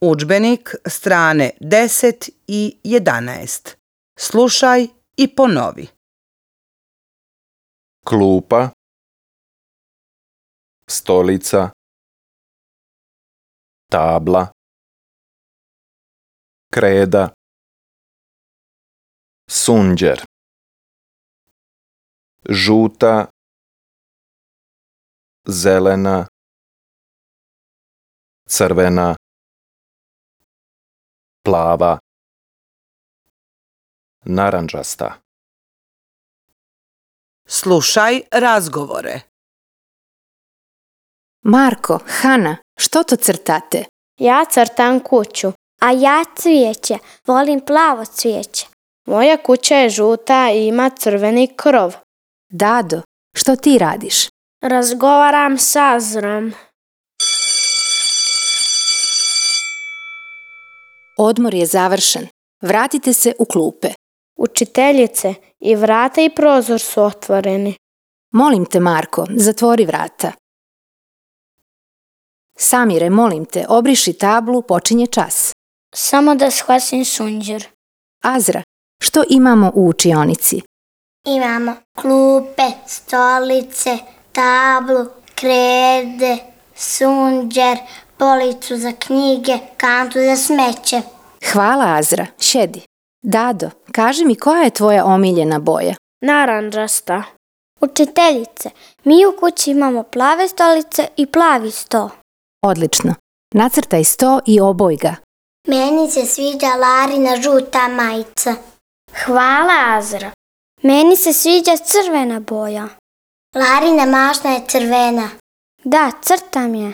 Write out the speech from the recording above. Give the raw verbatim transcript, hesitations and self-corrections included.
Udžbenik strane deset i jedanaest. Slušaj i ponovi. Klupa, stolica, tabla, kreda, sunđer, žuta, zelena, crvena, plava, narandžasta. Slušaj razgovore. Marko, Hana, što to crtate? Ja crtam kuću. A ja cvijeće. Volim plavo cvijeće. Moja kuća je žuta i ima crveni krov. Dado, što ti radiš? Razgovaram s Azrom. Odmor je završen. Vratite se u klupe. Učiteljice, i vrata i prozor su otvoreni. Molim te, Marko, zatvori vrata. Samire, molim te, obriši tablu, počinje čas. Samo da shvatim sunđer. Azra, što imamo u učionici? Imamo klupe, stolice, tablu, krede, sunđer, policu za knjige, kantu za smeće. Hvala, Azra. Šedi. Dado, kaži mi koja je tvoja omiljena boja? Narandžasta. Učiteljice, mi u kući imamo plave stolice i plavi sto. Odlično. Nacrtaj sto i oboj ga. Meni se sviđa Larina žuta majica. Hvala, Azra. Meni se sviđa crvena boja. Larina mašna je crvena. Da, crtam je.